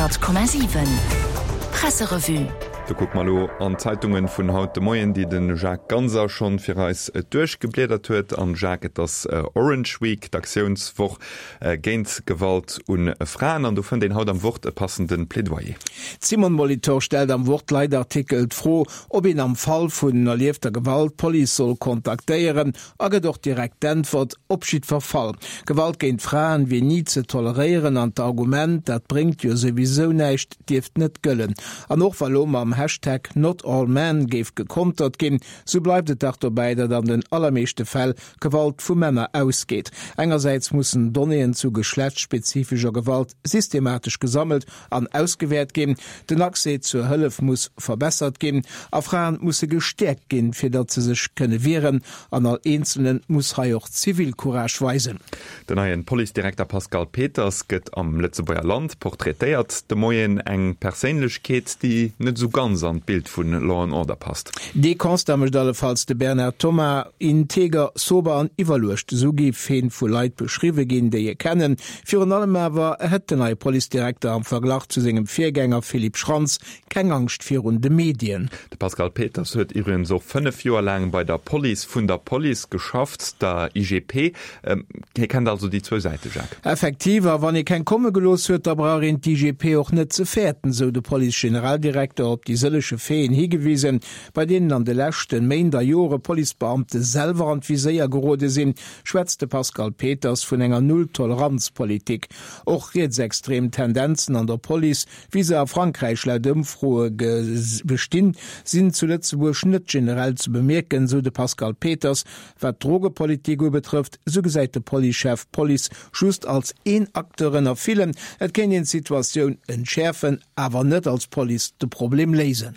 100,7 Presserevue. Do kucke mer elo an d'Zeitungen vun haut de Moien, déi de Jacques Ganser schonn fir eis duerchgebliedert huet. An Jacques, et ass Orange Week, d'Aktiounswoch géint Gewalt un Fraen. An do fënnt een haut am Wort e passende Plädoyer. D'Simone Molitor stellt am Wort-Leitartikel d'Fro, ob een am Fall vun erliefter Gewalt d'Police soll kontaktéieren A gëtt och direkt d'Äntwert, Op jiddwer Fall. Gewalt géint Fraen wier ni ze toleréieren an d'Argument, dat bréngt jo souwisou näischt, dierft net gëllen. An och wa lo mam Hashtag NotAllMen géif gekontert ginn, sou bleift et dach dobäi, datt an den allermeeschte Fäll Gewalt vu Männer ausgeet. Engersäits mussen Donnéeën zu geschlechtsspezifescher Gewalt systematesch gesammelt an ausgewäert ginn, den Accès zur Hëllef muss verbessert ginn a Fraen musse gestäerkt ginn, fir datt se sech kënne wieren. An all Eenzelne muss hei och Zivilcourage weisen. Den neien Policedirekter Pascal Peters gëtt am Lëtzebuerger Land portraitéiert de Moien. Eng Perséinlechkeet, déi net esou ganz an d'Bild vu Law and Order passt. Dee Constat mécht allefalls de Bernard Thomas. Integer, sober an iwwerluecht, esou géif heen vu Leit beschriwwe ginn, déi e kennen. Virun allem awer hätt den neie Policedirekter am Verglach zu sengem Virgänger Philippe Schrantz keng Angscht virun de Medien. De Pascal Peters huet iwwregens och 5 Joer laang bei der Police vun der Police geschafft, der IGP. Hie kennt also déi zwou Säite, Jacques. Effektiv, a wann ee keng komme gelooss huet, da brauch een d'IGP och net ze fäerten, sou de Police-Generaldirekter op déi sëllege Faiten higewisen, bei deenen an de leschte Méint a Jore Policebeamte selwer an d'Viséier gerode sinn. schwätzt de Pascal Peters vun enger Null-Toleranz-Politik. Och rietsextrem Tendenzen an der Police, wéi se a Frankräich laut Ëmfroe bestinn, sinn zu Lëtzebuerg net generell ze bemierken, sou de Pascal Peters. Wat d'Drogepolitik ubetrëfft, sou gesäit de Policechef d'Police just als een Acteur ënner villen. Et kéint een d'Situatioun entschäerfen, awer net als Police de Problem léisen.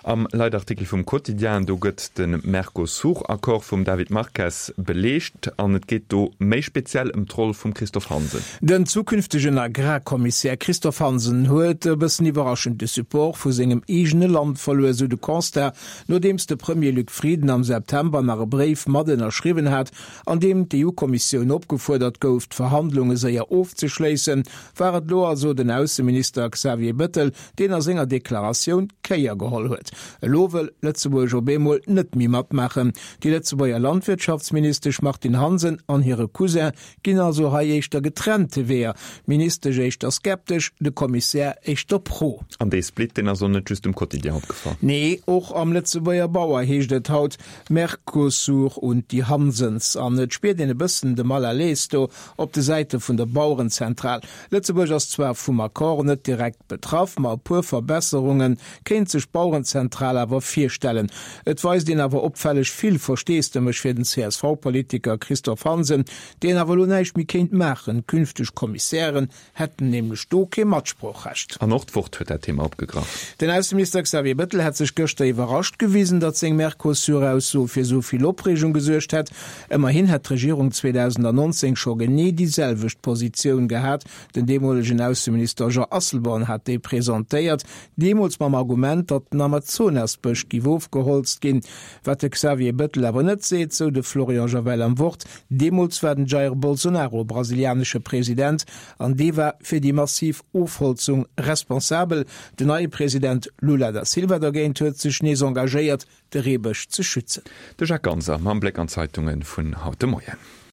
Am Leitartikel vum Quotidien, do gëtt de Mercosur-Accord vum David Marques beleecht an et geet do méi speziell ëm d'Roll vum Christophe Hansen. Den zukünftegen Agrarkommissär Christophe Hansen huet e bëssen iwwerraschend de Support vu sengem eegene Land verluer, sou de Constat, nodeems de Premier Luc Frieden am September nach e Bréif mat ënnerschriwwen hat, an deem d'EU-Kommissioun opgefuerdert gouf, d'Verhandlunge séier ofzeschléissen. War et elo also den Ausseminister Xavier Bëttel, deen a senger Deklaratioun d'Kéier geholl huet. Elo wëll Lëtzebuerg op eemol net méi matmaachen. Déi Lëtzebuerger Landwirtschaftsministesch Martine Hansen an hire Cousin ginn also hei éischter getrennte Weeër, d'Ministesch éischter skeptesch, de Kommissär éischter pro. An dee Split, deen ass och net just dem Quotidien opgefall. Nee, och am Lëtzebuerger Bauer heescht et haut, Mercosur und die Hansens. An et spiert een e bëssen de Mal à l'aise do op de Säite vun der Bauerenzentral. Lëtzebuerg ass zwar vum Accord net direkt betraff, ma e puer Verbesserunge kéint sech d'Bauerenzentral awer virstellen. Et weist een awer opfälleg vill Versteesdemech fir den CSV-Politiker Christophe Hansen, deen awer elo näischt méi kéint maachen. Künfteg Kommissären hätten nämlech do kee Matsproochrecht. An och d'Wort huet dat Thema opgegraff. Den Ausseminister Xavier Bettel hätt sech gëschter iwwerrascht gewisen, datt seng Mercosur-Ausso fir esou vill Opreegung gesuergt hätt. Ëmmerhin hätt d'Regierung 2019 scho genee déi selwecht Positioun gehat. Den deemolegen Ausseminister Jean Asselborn hat déi presentéiert, deemools mam Argument, datt den Amazonasbësch giff ofgeholzt ginn. Wat de Xavier Bettel awer net seet, sou de Florian Javel am Wort, deemools war den Jair Bolsonaro brasilianesche President an dee war fir déi massiv Ofholzung responsabel. Den neie President Lula da Silva dergéint huet sech nees engagéiert, de Reebësch ze schützen. De Jacques Ganser mam Bléck an d'Zeitunge vun haut de Moien.